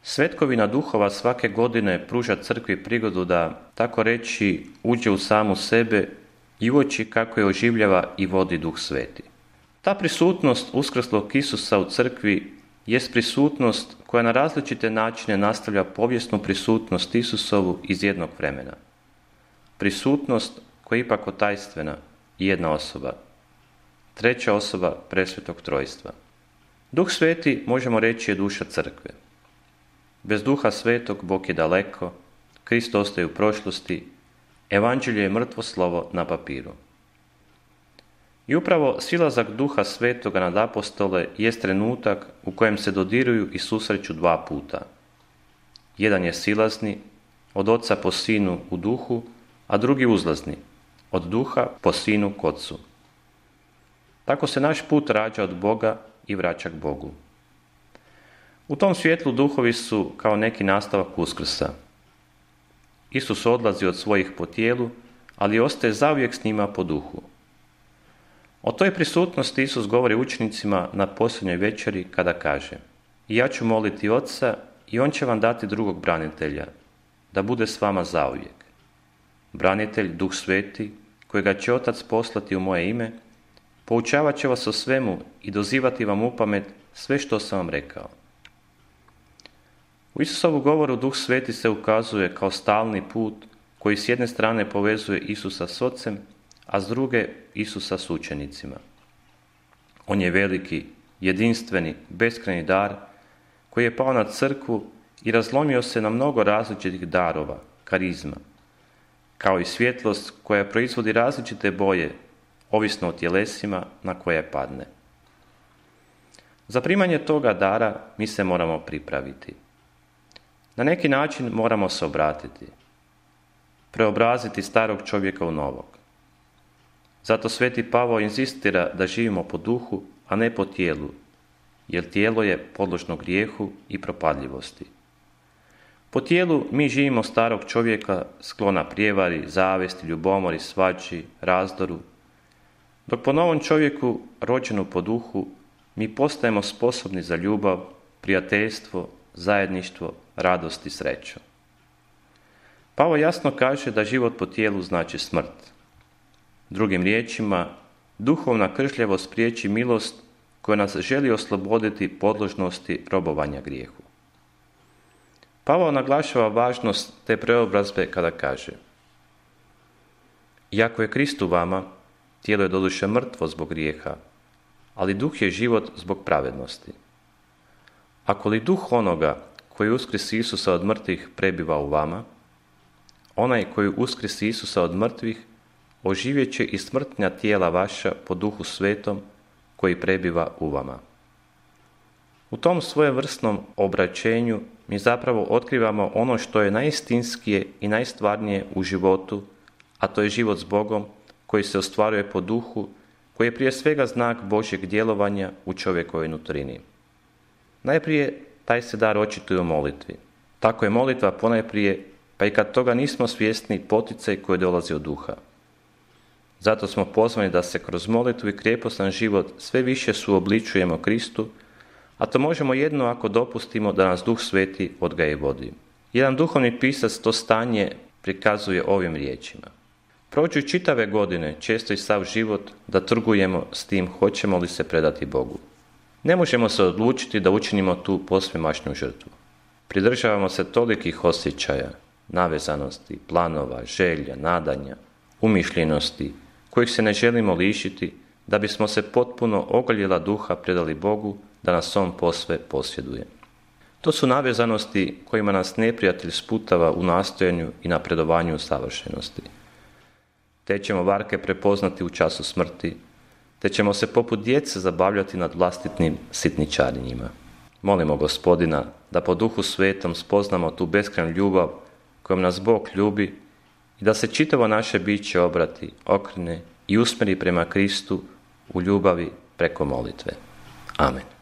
Svetkovina duhova svake godine pruža crkvi prigodu da, tako reći, uđe u samu sebe i uoči kako je oživljava i vodi Duh Sveti. Ta prisutnost uskrslog Isusa u crkvi jest prisutnost koja na različite načine nastavlja povijesnu prisutnost Isusovu iz jednog vremena. Prisutnost koja je ipak otajstvena i jedna osoba. Treća osoba presvetog trojstva. Duh Sveti, možemo reći, je duša crkve. Bez Duha Svetog Bog je daleko, Krist ostaje u prošlosti, Evanđelje je mrtvo slovo na papiru. I upravo silazak Duha Svetoga nad apostole jest trenutak u kojem se dodiruju i susreću dva puta. Jedan je silazni, od Oca po Sinu u duhu, a drugi uzlazni, od duha po Sinu k Ocu. Tako se naš put rađa od Boga i vraća k Bogu. U tom svjetlu duhovi su kao neki nastavak Uskrsa. Isus odlazi od svojih po tijelu, ali ostaje zauvijek s njima po duhu. O toj prisutnosti Isus govori učenicima na posljednjoj večeri kada kaže: "I ja ću moliti Oca i On će vam dati drugog branitelja, da bude s vama zauvijek. Branitelj, Duh Sveti, kojega će Otac poslati u moje ime, poučavat će vas o svemu i dozivati vam upamet sve što sam vam rekao." U Isusovu govoru Duh Sveti se ukazuje kao stalni put koji s jedne strane povezuje Isusa s Ocem, a s druge Isusa s učenicima. On je veliki, jedinstveni, beskrajni dar koji je pao na crkvu i razlomio se na mnogo različitih darova, karizma, kao i svjetlost koja proizvodi različite boje, ovisno o tjelesima na koje padne. Za primanje toga dara mi se moramo pripraviti. Na neki način moramo se obratiti, preobraziti starog čovjeka u novog. Zato Sveti Pavao inzistira da živimo po duhu, a ne po tijelu, jer tijelo je podložno grijehu i propadljivosti. Po tijelu mi živimo starog čovjeka sklona prijevari, zavesti, ljubomori, svađi, razdoru, dok po novom čovjeku, rođenu po duhu, mi postajemo sposobni za ljubav, prijateljstvo, zajedništvo, radost i sreću. Pavao jasno kaže da život po tijelu znači smrt. Drugim riječima, duhovna kršljivost priječi milost koja nas želi osloboditi podložnosti robovanja grijehu. Pavao naglašava važnost te preobrazbe kada kaže: "Iako je Krist u vama, tijelo je doduše mrtvo zbog grijeha, ali duh je život zbog pravednosti. Ako li duh onoga koji uskrisi Isusa od mrtvih prebiva u vama, onaj koji uskrisi Isusa od mrtvih oživjet će i smrtnja tijela vaša po Duhu Svetom koji prebiva u vama." U tom svojevrsnom obraćenju mi zapravo otkrivamo ono što je najistinskije i najstvarnije u životu, a to je život s Bogom koji se ostvaruje po duhu, koji je prije svega znak Božjeg djelovanja u čovjekovoj nutrini. Najprije taj se dar očituje u molitvi. Tako je molitva ponajprije, pa i kad toga nismo svjesni, poticaj koji dolazi od duha. Zato smo pozvani da se kroz molitvu i krijepostan život sve više suobličujemo Kristu, a to možemo jedino ako dopustimo da nas Duh Sveti odgaja i vodi. Jedan duhovni pisac to stanje prikazuje ovim riječima: "Prođu čitave godine, često i sav život, da trgujemo s tim hoćemo li se predati Bogu. Ne možemo se odlučiti da učinimo tu posvemašnju žrtvu. Pridržavamo se tolikih osjećaja, navezanosti, planova, želja, nadanja, umišljenosti, kojih se ne želimo lišiti, da bismo se potpuno ogoljela duha predali Bogu, da nas On posve posjeduje. To su navezanosti kojima nas neprijatelj sputava u nastojanju i napredovanju u savršenosti. Te ćemo varke prepoznati u času smrti, te ćemo se poput djece zabavljati nad vlastitim sitničarenjima. Molimo Gospodina da po Duhu Svetom spoznamo tu beskrajnu ljubav kojom nas Bog ljubi i da se čitavo naše biće obrati, okrene i usmjeri prema Kristu u ljubavi preko molitve. Amen."